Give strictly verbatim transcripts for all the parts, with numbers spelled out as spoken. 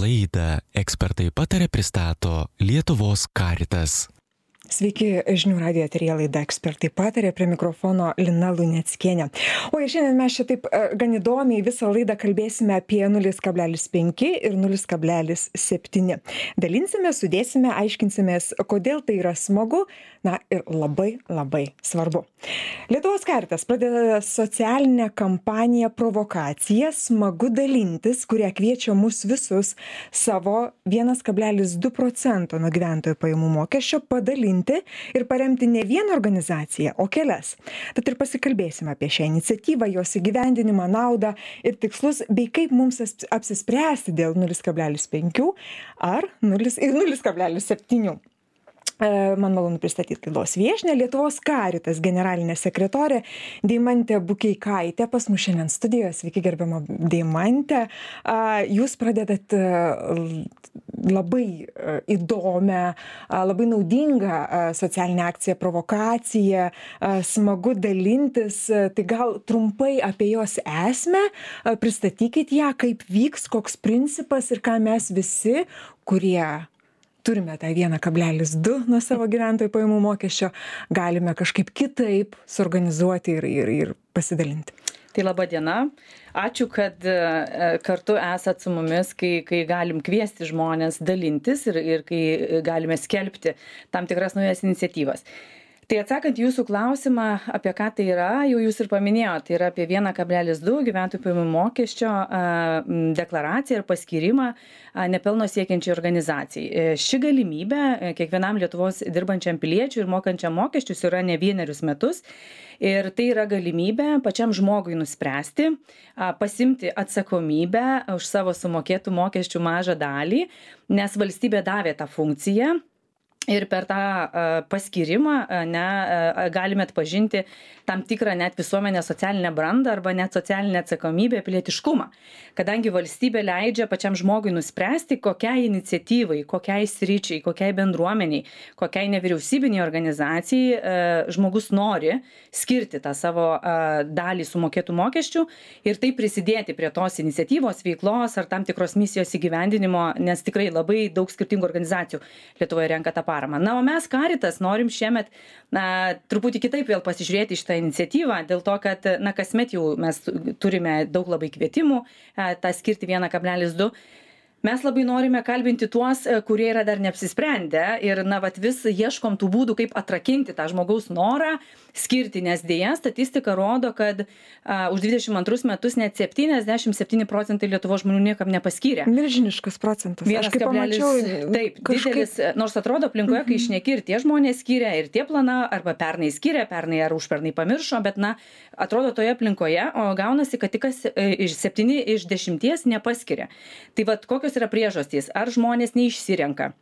Laidą Ekspertai pataria pristato Lietuvos Caritas. Sveiki, žinių radijo eteryje laida Ekspertai pataria, prie mikrofono Lina Luneckienė. O ir šiandien mes čia taip gan įdomiai visą laidą kalbėsime apie nulis kablelis penki ir nulis kablelis septyni. Dalinsime, sudėsime, aiškinsimės, kodėl tai yra smagu, na ir labai labai svarbu. Lietuvos Caritas pradeda socialinę kampaniją Provokacija smagu dalintis, kurią kviečia mus visus savo vienas kablelis du procento nuo gyventojų pajamų mokesčio padalinti ir paremti ne vieną organizaciją, o kelias. Tad ir pasikalbėsime apie šią iniciatyvą, jos įgyvendinimą, naudą ir tikslus, bei kaip mums apsispręsti dėl nulis kablelis penki ar nulis kablelis septyni. Man malonu pristatyti laidos viešnią, Lietuvos Caritas generalinė sekretorė Deimantė Bukeikaitė pas mus šiandien studijoje. Sveiki, gerbiama Deimantė. Jūs pradedat labai įdomią, labai naudingą socialinę akciją Provokacija, smagu dalintis. Tai gal trumpai apie jos esmę, pristatykit ją, kaip vyks, koks principas ir ką mes visi, kurie turime tą vienas kablelis du nuo savo gyventojų pajamų mokesčio, galime kažkaip kitaip suorganizuoti ir, ir, ir pasidalinti. Tai laba diena. Ačiū, kad kartu esat su mumis, kai, kai galim kviesti žmonės dalintis ir, ir kai galime skelbti tam tikras naujas iniciatyvas. Tai atsakant jūsų klausimą, apie ką tai yra, jau jūs ir paminėjote, tai yra apie vienas kablelis du gyventojų pajamų mokesčio deklaraciją ir paskyrimą nepelno siekiančiai organizacijai. Ši galimybė kiekvienam Lietuvos dirbančiam piliečiui ir mokančiam mokesčius yra ne vienerius metus. Ir tai yra galimybė pačiam žmogui nuspręsti, pasimti atsakomybę už savo sumokėtų mokesčių mažą dalį, nes valstybė davė tą funkciją. Ir per tą paskyrimą ne, galime atpažinti tam tikrą net visuomenės socialinę brandą arba net socialinę atsakomybę, pilietiškumą. Kadangi valstybė leidžia pačiam žmogui nuspręsti, kokiai iniciatyvai, kokiai sričiai, kokiai bendruomeniai, kokiai nevyriausybiniai organizacijai žmogus nori skirti tą savo dalį sumokėtų mokesčių ir taip prisidėti prie tos iniciatyvos, veiklos ar tam tikros misijos įgyvendinimo, nes tikrai labai daug skirtingų organizacijų Lietuvoje renka tą paramą. Na, o mes Caritas norim šiemet na, truputį kitaip vėl pasižiūrėti šitą iniciatyvą, dėl to, kad na, kasmet jau mes turime daug labai kvietimų tą skirti vienas kablelis du. Mes labai norime kalbinti tuos, kurie yra dar neapsisprendę ir na, vat, vis ieškom tų būdų, kaip atrakinti tą žmogaus norą skirti, nes dėja statistika rodo, kad a, už dvidešimt antrus metus net septyniasdešimt septyni procentai Lietuvos žmonių niekam nepaskyrė. Milžiniškas procentas. Aš kaip pamačiau, taip, kažkaip didelis, nors atrodo aplinkoje, kai išneki ir tie žmonės skyrė, ir tie plana, arba pernai skyrė, pernai ar užpernai pamiršo, bet na, atrodo toje aplinkoje, o gaunasi, kad tik iš septyni iš dešimties nepaskiria. Tai vat kokios yra priežastys, ar žmonės neišsirenka,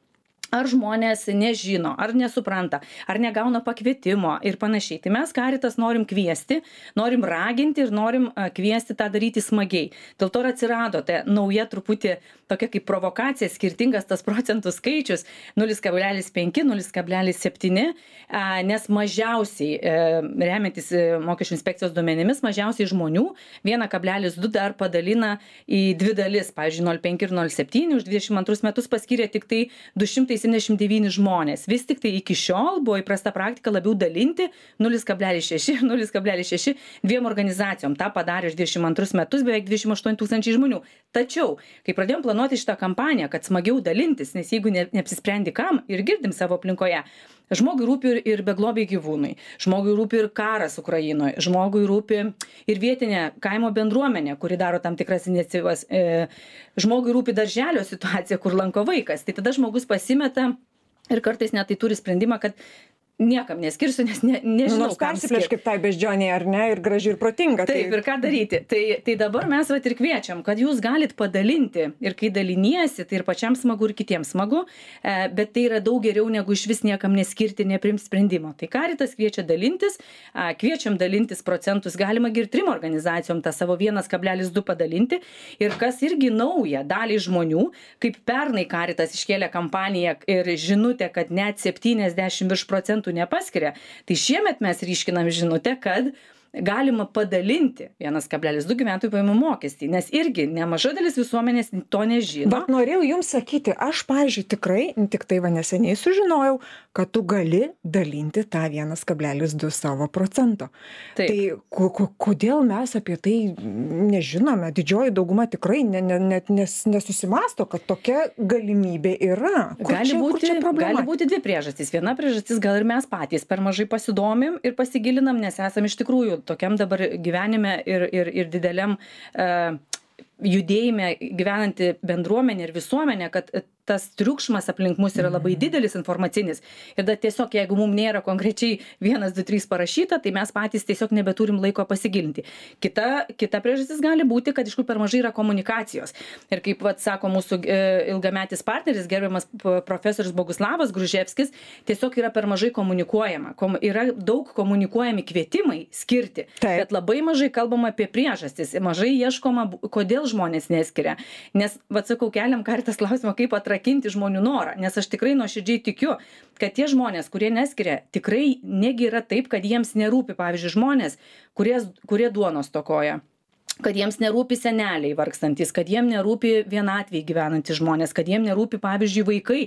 ar žmonės nežino, ar nesupranta, ar negauna pakvietimo ir panašiai. Tai mes Caritas norim kviesti, norim raginti ir norim kviesti tą daryti smagiai. Dėl to ir atsirado ta nauja truputį tokia kaip provokacija, skirtingas tas procentų skaičius nulis kablelis penki, nulis kablelis septyni, nes mažiausiai, remiantis mokesčių inspekcijos duomenimis, mažiausiai žmonių vienas kablelis du dar padalina į dvi dalis, pavyzdžiui, nulis kablelis penki ir nulis kablelis septyni, už dvidešimt antrus metus paskyrė tik tai du šimtai septyniasdešimt devyni žmonės. Vis tik tai iki šiol buvo įprasta praktika labiau dalinti nulis kablelis šeši ir nulis kablelis šeši dviem organizacijom. Ta padarė už dvidešimt antrus metus beveik dvidešimt aštuoni tūkstančiai žmonių. Tačiau, kai pradėjom planuoti šitą kampaniją, kad smagiau dalintis, nes jeigu ne, neapsisprendi kam ir girdim savo aplinkoje, žmogui rūpi ir, ir beglobiai gyvūnai, žmogui rūpi ir karas Ukrainoje, žmogui rūpi ir vietinė kaimo bendruomenė, kuri daro tam tikras iniciatyvas, e, žmogui rūpi darželio situacija, kur lanko vaikas. Tai tada žmogus pasimeta ir kartais net tai turi sprendimą, kad niekam neskirsiu, nes ne, nežinau, nors persiplėš kaip tai beždžioniai, ar ne, ir graži ir protinga. Taip, tai... ir ką daryti. Tai, tai dabar mes vat ir kviečiam, kad jūs galit padalinti ir kai daliniesi, tai ir pačiam smagu, ir kitiems smagu, bet tai yra daug geriau negu iš vis niekam neskirti, neprimti sprendimo. Tai Caritas kviečia dalintis, kviečiam dalintis procentus, galima ir trim organizacijom tą savo vienas kablelis du padalinti ir kas irgi nauja daliai žmonių, kaip pernai Caritas iškėlė kampaniją ir žinutę, kad net septyniasdešimt virš procentų nepaskiria. Tai šiemet mes ryškinam žinutę, kad galima padalinti vienas kablelis du gyventojų pajamų mokestį, nes irgi nemaža dalis visuomenės to nežino. Bet norėjau jums sakyti, aš, pavyzdžiui, tikrai, tik tai va neseniai sužinojau, kad tu gali dalinti tą vienas kablelis du savo procento. Taip. Tai ko, ko, kodėl mes apie tai nežinome? Didžioji dauguma tikrai ne, ne, net nes, nesusimasto, kad tokia galimybė yra. Kur Gali čia, būti, kur čia problema? gali būti dvi priežastys. Viena priežastis, gal ir mes patys per mažai pasidomim ir pasigilinam, nes esam iš tikrųjų tokiam dabar gyvenime ir, ir, ir dideliam uh, judėjime gyvenanti bendruomenė ir visuomenė, kad tas triukšmas aplink mus yra labai didelis informacinis. Ir da tiesiog, jeigu mums nėra konkrečiai vienas, du, trys parašyta, tai mes patys tiesiog nebeturim laiko pasigilinti. Kita, kita priežastis gali būti, kad iš kur per mažai yra komunikacijos. Ir kaip vat, sako mūsų e, ilgametis partneris, gerbiamas profesorius Boguslavas Gruževskis, tiesiog yra per mažai komunikuojama. Kom, yra daug komunikuojami kvietimai skirti, Taip. bet labai mažai kalbama apie priežastis. Mažai ieškoma, kodėl žmonės neskiria. Nes, vat sakau, keliam Caritas klausimą, kaip atrakinti žmonių norą, nes aš tikrai nuoširdžiai tikiu, kad tie žmonės, kurie neskiria, tikrai negi yra taip, kad jiems nerūpi, pavyzdžiui, žmonės, kurie, kurie duonos stokoja, kad jiems nerūpi seneliai vargstantis, kad jiem nerūpi vienatviai gyvenantys žmonės, kad jiem nerūpi, pavyzdžiui, vaikai,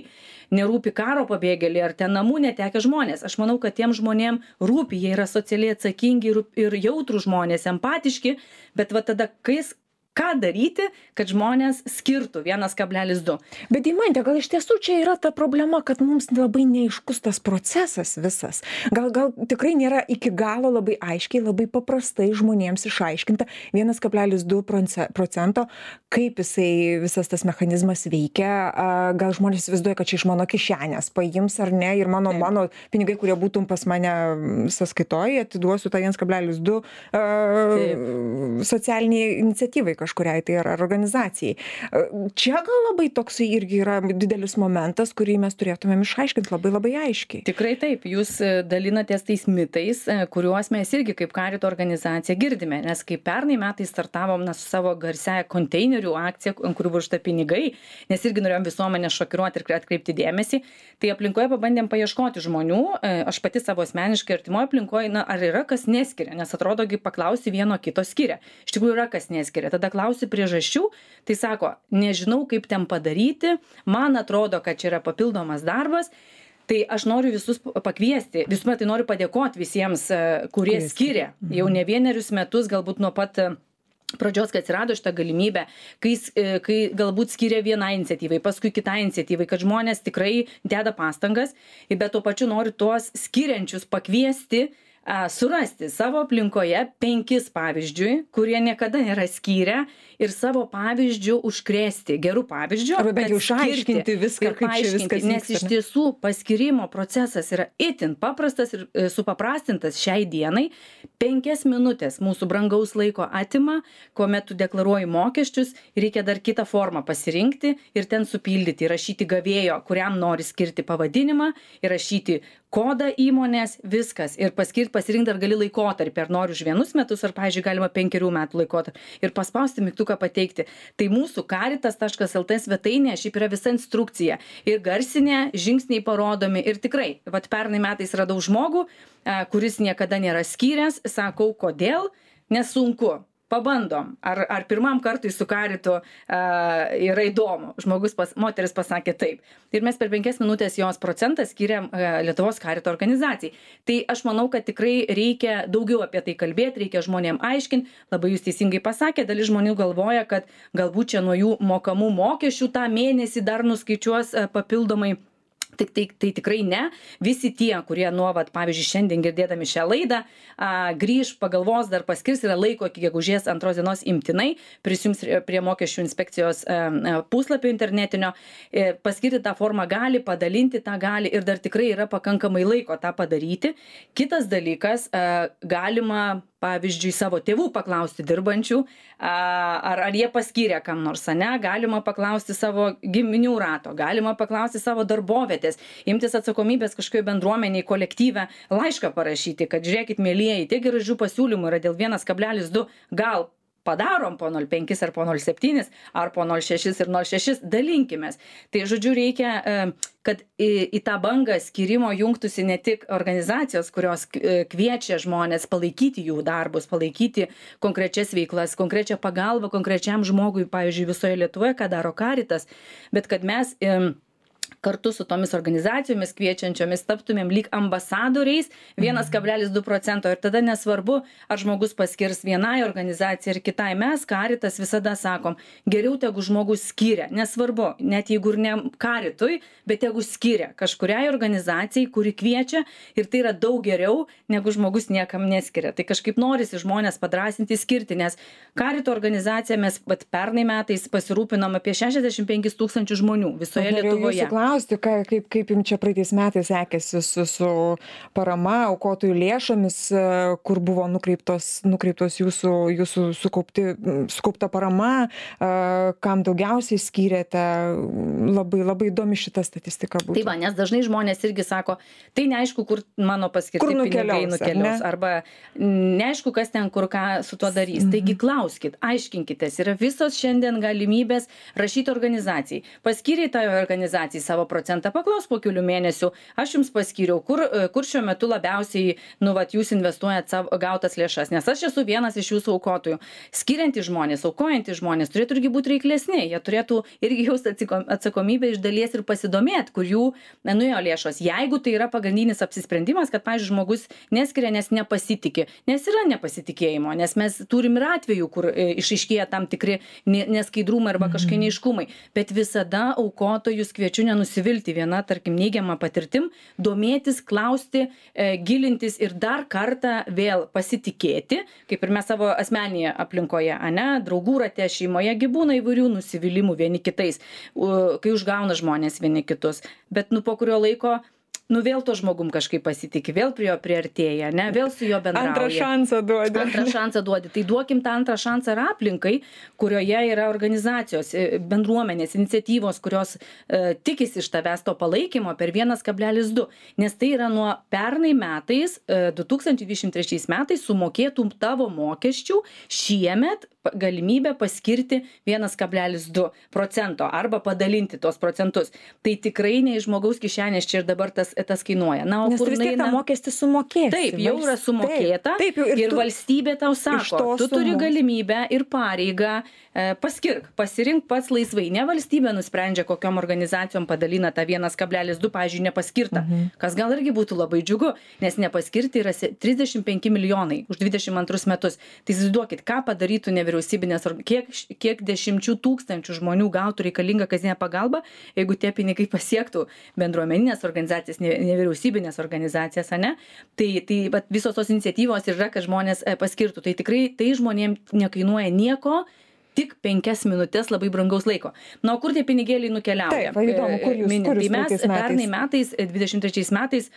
nerūpi karo pabėgėliai ar ten namų netekę žmonės. Aš manau, kad tiem žmonėm rūpi, jie yra socialiai atsakingi ir, ir jautrų žmonės, empatiški, bet va tada, kai ką daryti, kad žmonės skirtų vienas kablelis du. Bet Deimante, gal iš tiesų čia yra ta problema, kad mums labai neaiškus tas procesas visas. Gal, gal tikrai nėra iki galo labai aiškiai, labai paprastai žmonėms išaiškinta vienas kablelis du procento, kaip jisai visas tas mechanizmas veikia. Gal žmonės įsivaizduoja, kad čia iš mano kišenės paims ar ne, ir mano, mano pinigai, kurie būtum pas mane sąskaitoje, atiduosiu tą vienas kablelis du uh, socialiniai iniciatyvai kažkuriai tai ar organizacijai. Čia gal labai toksai irgi yra didelis momentas, kurį mes turėtumėm išaiškinti labai labai aiškiai. Tikrai taip, jūs dalinatės tais mitais, kuriuos mes irgi kaip Carito organizacija girdime, nes kai pernai metais startavom na, su savo garsiaja konteinerių akcija, ant kurių buvo užta pinigai, nes irgi norėjom visuomenę šokiruoti ir atkreipti dėmesį, tai aplinkoje pabandėm paieškoti žmonių, aš pati savo asmeniškai artimoje aplinkoje, na, ar yra kas neskiria, nes atrodogi paklausi vieno kito skiria. Iš tikrųjų yra kas neskiria. Tada klausi priežasčių, tai sako, nežinau kaip ten padaryti, man atrodo, kad čia yra papildomas darbas, tai aš noriu visus pakviesti, visų metai noriu padėkoti visiems, kurie skiria jau ne vienerius metus, galbūt nuo pat pradžios, kai atsirado šitą galimybę, kai, kai galbūt skiria vienai iniciatyvai, paskui kitai iniciatyvai, kad žmonės tikrai deda pastangas, bet tuo pačiu noriu tuos skiriančius pakviesti, surasti savo aplinkoje penkis pavyzdžiui, kurie niekada nėra skyrę ir savo pavyzdžių užkrėsti gerų pavyzdžių. Arba bent jau išaiškinti viską, kaip čia viskas vyksta. Nes iš tiesų paskirimo procesas yra itin paprastas ir supaprastintas šiai dienai. Penkias minutės mūsų brangaus laiko atima, kuomet tu deklaruoji mokesčius, reikia dar kitą formą pasirinkti ir ten supildyti, įrašyti gavėjo, kuriam nori skirti pavadinimą, įrašyti kodą įmonės, viskas. Ir paskirti, pasirinkti dar gali laikotarpį, ar nori už vienus metus, ar, pavyzdžiui, galima penkerių metų laikotarpį. Ir paspausti mygtuką pateikti. Tai mūsų caritas taškas lt svetainė šiaip yra visa instrukcija. Ir garsinė, žingsniai parodomi. Ir tikrai, vat pernai metais radau žmogų, kuris niekada nėra skyręs, sakau, kodėl, nesunku. Pabandom, ar, ar pirmam kartui su Caritu uh, yra įdomu. Žmogus, pas, moteris pasakė taip. Ir mes per penkias minutės jos procentą skiriam uh, Lietuvos Carito organizacijai. Tai aš manau, kad tikrai reikia daugiau apie tai kalbėti, reikia žmonėm aiškinti. Labai jūs teisingai pasakė, dalis žmonių galvoja, kad galbūt čia nuo jų mokamų mokesčių tą mėnesį dar nuskaičiuos uh, papildomai. Tai, tai, tai tikrai ne. Visi tie, kurie nuo, vat, pavyzdžiui, šiandien girdėdami šią laidą, a, grįž, pagalvos, dar paskirs, yra laiko iki gegužės antros dienos imtinai, prisijungs prie mokesčių inspekcijos a, a, puslapio internetinio, e, paskirti tą formą gali, padalinti tą gali ir dar tikrai yra pakankamai laiko tą padaryti. Kitas dalykas, a, galima pavyzdžiui, savo tėvų paklausti dirbančių, ar, ar jie paskyrė kam nors, ne, galima paklausti savo giminių rato, galima paklausti savo darbovietės, imtis atsakomybės kažkokioje bendruomeniai, kolektyve, laišką parašyti, kad žiūrėkit, mėlyjeji, tiek gražių pasiūlymų yra dėl vienas kablelis du, gal padarom po nol penkis ar po nol septynis, ar po nol šešis ir nol šešis, dalinkimės. Tai žodžiu, reikia, kad į, į tą bangą skirimo jungtųsi ne tik organizacijos, kurios kviečia žmonės palaikyti jų darbus, palaikyti konkrečias veiklas, konkrečią pagalbą konkrečiam žmogui, pavyzdžiui, visoje Lietuvoje, ką daro Caritas, bet kad mes kartu su tomis organizacijomis kviečiančiomis taptumėm lyg ambasadoriais vienas kablelis du procento ir tada nesvarbu, ar žmogus paskirs vienai organizacijai ir kitai. Mes, Caritas, visada sakom, geriau tegu žmogus skiria, nesvarbu, net jeigu ir ne Caritui, bet tegu skiria kažkuriai organizacijai, kuri kviečia ir tai yra daug geriau, negu žmogus niekam neskiria. Tai kažkaip norisi žmonės padrasinti skirti, nes Carito organizacija mes pat pernai metais pasirūpinom apie šešiasdešimt penkis tūkstančius žmonių visoje Lietuvoje. Klausti, ka, kaip, kaip jums čia praeitais metais sekėsi su, su parama, aukotojų lėšomis, kur buvo nukreiptos, nukreiptos jūsų, jūsų sukaupti, sukaupta parama, kam daugiausiai skyrėte, labai, labai įdomi šita statistika būtų. Tai va, nes dažnai žmonės irgi sako, tai neaišku, kur mano paskirti kur nukeliaus, pinigai nukeliaus, ar arba neaišku, kas ten kur ką su tuo darys. Mhm. Taigi klauskit, aiškinkitės, yra visos šiandien galimybės rašyti organizacijai. Paskyrei tai organizacijai savo procentą, paklaus po kelių mėnesių, aš jums paskyriau, kur, kur šiuo metu labiausiai, nu, vat, jūs investuojat savo gautas lėšas, nes aš esu vienas iš jūsų aukotojų. Skiriantys žmonės, aukojantys žmonės turėtų irgi būti reiklesni, jie turėtų irgi jausti atsakomybę iš dalies ir pasidomėti, kur jų nuėjo lėšos. Jeigu tai yra pagrindinis apsisprendimas, kad, pavyzdžiui, žmogus neskiria, nes nepasitikė, nes yra nepasitikėjimo, nes mes turim ir atvejų, kur išaiškėja tam tikri neskaidrumai arba kažkokie neiškumai, bet visada aukotojus kviečiu nenusivilti viena, tarkim, neigiama patirtim, domėtis, klausti, e, gilintis ir dar kartą vėl pasitikėti, kaip ir mes savo asmeninėje aplinkoje, ane, draugų rate, šeimoje gi būna įvairių nusivylimų vieni kitais, kai užgauna žmonės vieni kitus, bet nu po kurio laiko nu vėl to žmogum kažkaip pasitikė, vėl prie jo priartėja, ne, vėl su jo bendrauja. Antrą šansą duodi. Antrą šansą duodi. Tai duokim tą antrą šansą ir aplinkai, kurioje yra organizacijos, bendruomenės, iniciatyvos, kurios e, tikisi iš tavęs to palaikymo per vienas kablelis du. Nes tai yra nuo pernai metais, e, du tūkstančiai dvidešimt trečiais metais sumokėtų tavo mokesčių šiemet galimybę paskirti vienas kablelis du procento arba padalinti tos procentus. Tai tikrai ne iš žmogaus kišenės čia ir dabar tas, tas kainuoja. Na, o nes kur vis tiek tą mokestį sumokėsi. Taip, jau yra sumokėta taip, taip, ir, ir tu, valstybė tau sako, tu turi sumos. Galimybę ir pareigą e, paskirk, pasirink pats laisvai. Ne valstybė nusprendžia, kokiom organizacijom padalina tą vienas kablelis du, pavyzdžiui, nepaskirta. Mhm. Kas gal irgi būtų labai džiugu, nes nepaskirti yra trisdešimt penki milijonai už dvidešimt antrus metus. Tai įsivaizduokit, ką padarytų nevyriausybinės kiek, kiek dešimčių tūkstančių žmonių gautų reikalingą kasdienę pagalbą, jeigu tie pinigai pasiektų bendruomeninės organizacijas, nevyriausybinės organizacijas, ane? Tai, tai bet visos tos iniciatyvos yra, kad žmonės paskirtų. Tai tikrai tai žmonėms nekainuoja nieko, tik penkias minutės labai brangaus laiko. Na, o kur tie pinigėliai nukeliauja? Taip, įdomu, kur jūs, kur jūs tai mes pernai metais, dvidešimt trečiais metais,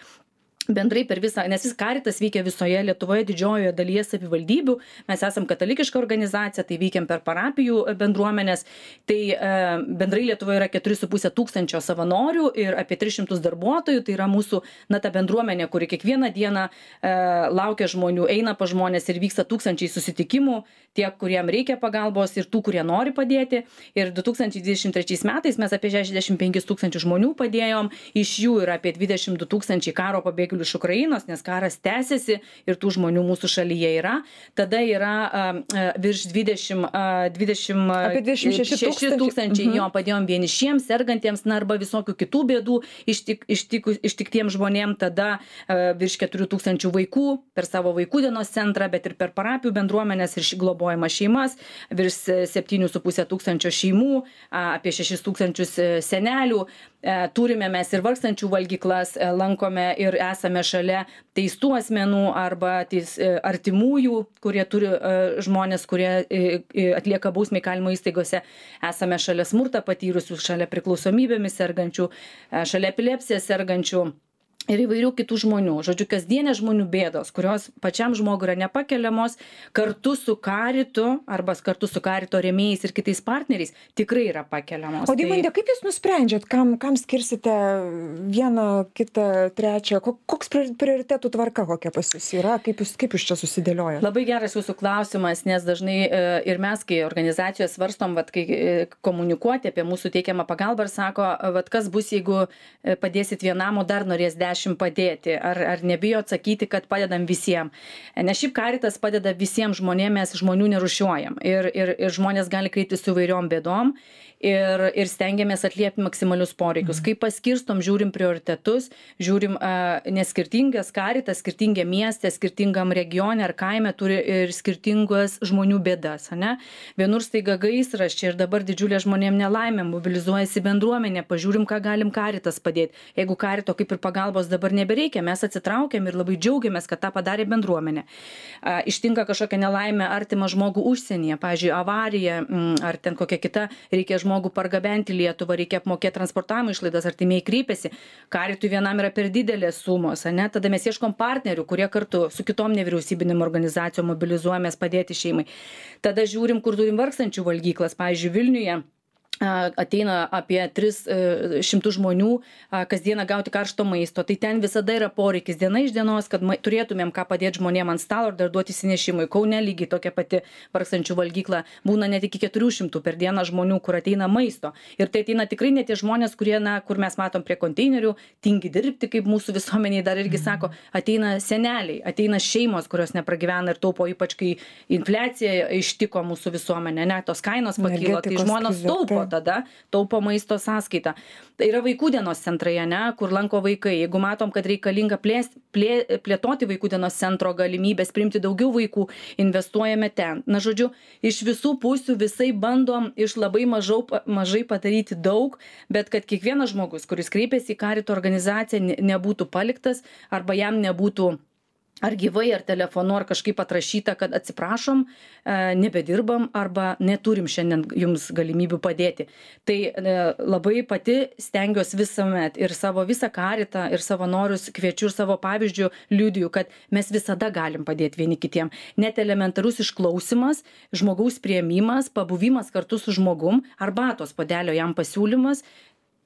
bendrai per visą, nes jis Caritas veikia visoje Lietuvoje, didžiojoje dalyje savivaldybių, mes esam katalikiška organizacija, tai veikiam per parapijų bendruomenės, tai e, bendrai Lietuvoje yra keturi su puse tūkstančio savanorių ir apie tris šimtus darbuotojų, tai yra mūsų, na, ta bendruomenė, kuri kiekvieną dieną e, laukia žmonių, eina pa žmonės ir vyksta tūkstančiai susitikimų, tiek, kuriem reikia pagalbos ir tų, kurie nori padėti. Ir du tūkstančiai dvidešimt trečiais metais mes apie šešiasdešimt penkis tūkstančius žmonių padėjom, iš jų yra apie dvidešimt du tūkstančiai karo pabėgėlių iš Ukrainos, nes karas tęsiasi ir tų žmonių mūsų šalyje yra. Tada yra uh, virš dvidešimt, uh, dvidešimt, apie dvidešimt šeši tūkstančiai, mhm. jo, padėjom vienišiems, sergantiems, na, arba visokių kitų bėdų ištik, ištik, ištiktiems žmonėm. Tada uh, virš keturių tūkstančių vaikų per savo vaikų dienos centrą, bet ir per parapijų bendruomenės ir globojamas šeimas, virš septynių su puse tūkstančio šeimų, uh, apie šešis tūkstančius senelių. Uh, turime mes ir vargstančių valgyklas, uh, lankome ir esame šalia teistų asmenų arba teis, artimųjų, kurie turi žmonės, kurie atlieka bausmę įkalinimo įstaigose. Esame šalia smurtą patyrusių, šalia priklausomybėmis sergančių, šalia epilepsiją sergančių. ir įvairių kitų žmonių. Žodžiu, kasdienė žmonių bėdos, kurios pačiam žmogui yra nepakeliamos, kartu su karitu arba kartu su karito rėmėjais ir kitais partneriais tikrai yra pakeliamos. O Deimante, kaip jūs nusprendžiat, kam, kam skirsite vieną, kitą, trečią? Koks prioritetų tvarka kokia pas jūs yra? Kaip jūs, kaip jūs čia susidėliojate? Labai geras jūsų klausimas, nes dažnai ir mes, kai organizacijoje svarstom, vat, kai komunikuoti apie mūsų teikiamą pagalbą ir sako, vat, kas bus, jeigu padėsit vienam, o dar norės dešimt padėti, ar, ar nebijo atsakyti, kad padedam visiems. Nes šiaip Karitas padeda visiems žmonėms, mes žmonių nerušiuojam ir, ir, ir žmonės gali kreiptis su įvairiom bėdom ir, ir stengiamės atliepti maksimalius poreikius. Kai paskirstom, žiūrim prioritetus, žiūrim, uh, nes skirtingas Karitas, skirtingia mieste, skirtingam regione ar kaime turi ir skirtingas žmonių bėdas. Ne? Vienur staiga gaisras, čia ir dabar didžiulė žmonėm nelaimė, mobilizuojasi bendruomenė, pažiūrim, ką galim Karitas padėti. Jeigu Karito kaip ir pagalbos dabar nebereikia, mes atsitraukiam ir labai džiaugiamės, kad tą padarė bendruomenė. Uh, ištinka kažkokia nelaimė artimą žmogų užsienyje, pavyzdžiui, avarija mm, ar ten kokia kita, reikia žmogų pargabenti Lietuvą, reikia apmokėti transportavimo išlaidas, artimiai kreipiasi. Karitui vienam yra per didelės sumos, ne? Tada mes ieškom partnerių, kurie kartu su kitom nevyriausybinėm organizacijom mobilizuojamės padėti šeimai. Tada žiūrim, kur turim vargstančių valgyklas, pavyzdžiui, Vilniuje ateina apie tris šimtus žmonių kasdieną gauti karšto maisto, tai ten visada yra poreikis diena iš dienos, kad ma, turėtumėm ką padėti žmonėm ant stalo ir dar duoti įsinešimui. Kaune lygiai tokia pati vargstančių valgykla, būna net iki keturių šimtų per dieną žmonių, kur ateina maisto. Ir tai ateina tikrai ne tie žmonės, kurie, na, kur mes matom prie konteinerių, tingi dirbti, kaip mūsų visuomeniai dar irgi sako, ateina seneliai, ateina šeimos, kurios nepragyvena ir taupo, ypač kai infliacija ištiko mūsų visuomenę, ne, tos kainos pakilo, tai žmonės taupo tada, taupo maisto sąskaitą. Tai yra vaikų dienos centrai, ne, kur lanko vaikai. Jeigu matom, kad reikalinga plės, plė, plėtoti vaikų dienos centro galimybės, priimti daugiau vaikų, investuojame ten. Na, žodžiu, iš visų pusių visai bandom iš labai mažau, mažai padaryti daug, bet kad kiekvienas žmogus, kuris kreipiasi į Karito organizaciją, nebūtų paliktas arba jam nebūtų ar gyvai, ar telefonu, ar kažkaip atrašyta, kad atsiprašom, nebedirbam arba neturim šiandien jums galimybių padėti. Tai labai pati stengiuosi visuomet ir savo visą Karitą ir savanorius kviečiu ir savo pavyzdžių liudiju, kad mes visada galim padėti vieni kitiem. Net elementarus išklausimas, žmogaus priėmimas, pabuvimas kartu su žmogum, arbatos puodelio jam pasiūlymas,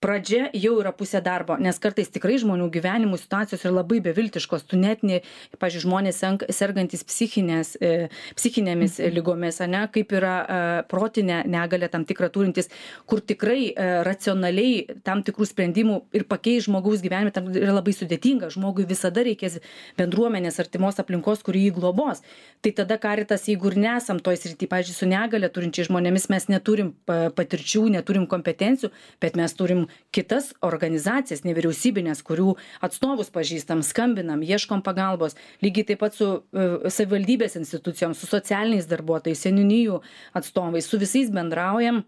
pradžia jau yra pusė darbo, nes kartais tikrai žmonių gyvenimų situacijos yra labai beviltiškos. Tu net, ne, pavyzdžiui, žmonės sergantis psichinės, e, psichinėmis lygomis, ne, kaip yra e, protinė negalė tam tikrą turintis, kur tikrai e, racionaliai tam tikrų sprendimų ir pakeisti žmogaus gyvenimą tam yra labai sudėtinga. Žmogui visada reikės bendruomenės artimos aplinkos, kuri jį globos. Tai tada Karitas, jeigu ir nesam toj srity, pavyzdžiui, su negalė turinčiai žmonėmis, mes neturim patirčių, neturim kompetencijų, bet mes turim kitas organizacijas nevyriausybinės, kurių atstovus pažįstam, skambinam, ieškom pagalbos. Lygiai taip pat su uh, savivaldybės institucijom, su socialiniais darbuotojais, seniūnijų atstovais, su visais bendraujam.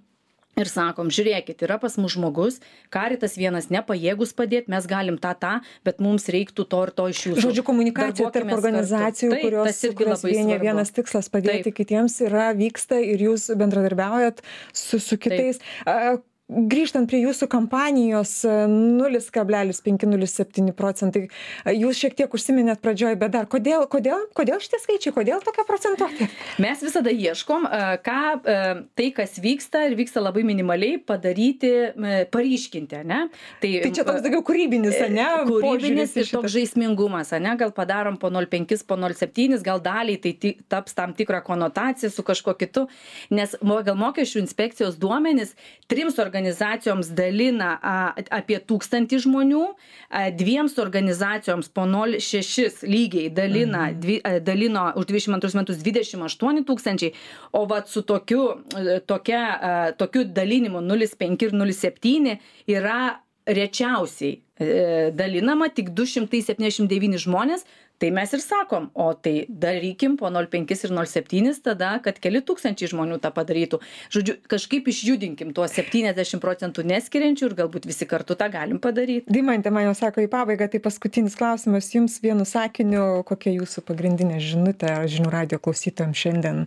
Ir sakom, žiūrėkit, yra pas mus žmogus, Karitas vienas nepajėgus padėti, mes galim tą, tą, bet mums reiktų to ir to iš jūsų. Žodžiu, komunikacija tarp organizacijų, Taip, kurios, kurios vienė vienas tikslas padėti Taip. kitiems yra, vyksta ir jūs bendradarbiaujat su, su kitais. Taip. Grįžtant prie jūsų kampanijos nulis kablelis penki nulis septyni procentai, jūs šiek tiek užsiminėt pradžioj, bet dar kodėl, kodėl, kodėl šitie skaičiai, kodėl tokia procentuotė? Mes visada ieškom, ką tai, kas vyksta ir vyksta labai minimaliai, padaryti, paryškinti, ne? Tai, tai čia toks daugiau kūrybinis, ne? Kūrybinis ir toks žaismingumas, ne? Gal padarom po nol penkis, po nol septynis, gal daliai tai taps tam tikrą konotaciją su kažkuo kitu, nes gal mokesčių inspekcijos duomenys trims organizacijoms organizacijoms dalina a, apie tūkstantį žmonių, a, dviems organizacijoms po nol šešis lygiai dalina, mhm. dvi, a, dalino už dvidešimt antrus metus dvidešimt aštuoni tūkstančiai, o vat su tokiu, tokia, a, tokiu dalinimu nulis penki ir nulis septyni yra rečiausiai e, dalinama tik du šimtai septyniasdešimt devyni žmonės. Tai mes ir sakom, o tai darykim po nol penkis ir nol septynis tada, kad keli tūkstančiai žmonių tą padarytų. Žodžiu, kažkaip išjudinkim tuos septyniasdešimt procentų neskiriančių ir galbūt visi kartu tą galim padaryti. Deimante man jau sako į pabaigą, tai paskutinis klausimas jums vienu sakiniu, kokia jūsų pagrindinė žinutė žinių radijo klausytojams šiandien,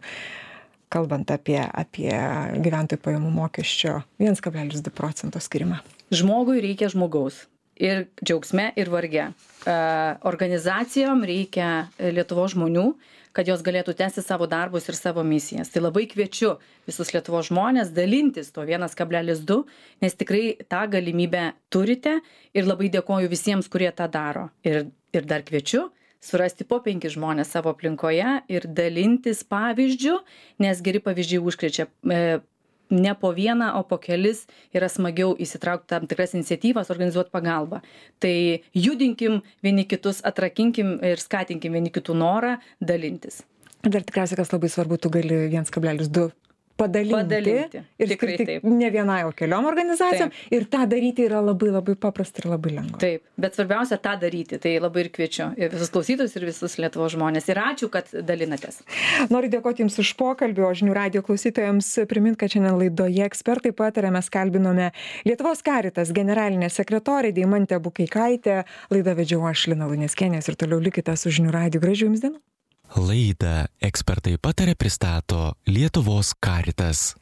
kalbant apie, apie gyventojų pajamų mokesčio vienas kablelis du procento skirimą. Žmogui reikia žmogaus. ir džiaugsme, ir varge. Organizacijom reikia Lietuvos žmonių, kad jos galėtų tęsti savo darbus ir savo misijas. Tai labai kviečiu visus Lietuvos žmonės dalintis to vienas kablelis du, nes tikrai tą galimybę turite ir labai dėkoju visiems, kurie tą daro. Ir, ir dar kviečiu surasti po penkis žmonės savo aplinkoje ir dalintis pavyzdžių, nes geri pavyzdžiai užkrečia. Ne po vieną, o po kelis yra smagiau įsitraukti tam tikras iniciatyvas, organizuoti pagalbą. Tai judinkim vieni kitus, atrakinkim ir skatinkim vieni kitų norą dalintis. Dar tikriausiai, kas labai svarbu, tu gali vienas kablelis du padalinti, padalinti. Ir tikrai taip. Ne vienai, o keliom organizacijom. Taip. Ir tą daryti yra labai labai paprasta ir labai lengva. Taip, bet svarbiausia tą daryti. Tai labai ir kviečiu ir visus klausytojus, ir visus Lietuvos žmonės. Ir ačiū, kad dalinatės. Noriu dėkoti Jums už pokalbį, o žinių radijo klausytojams primint, kad šiandien laidoje ekspertai pataria, mes kalbinome Lietuvos Caritas generalinę sekretorę Deimantę Bukeikaitę. Laidą vedžiau aš, Lina Luneckienė, ir toliau likite su žinių radiju. Gražių Jums dienų. Laidą ekspertai pataria pristato Lietuvos Caritas.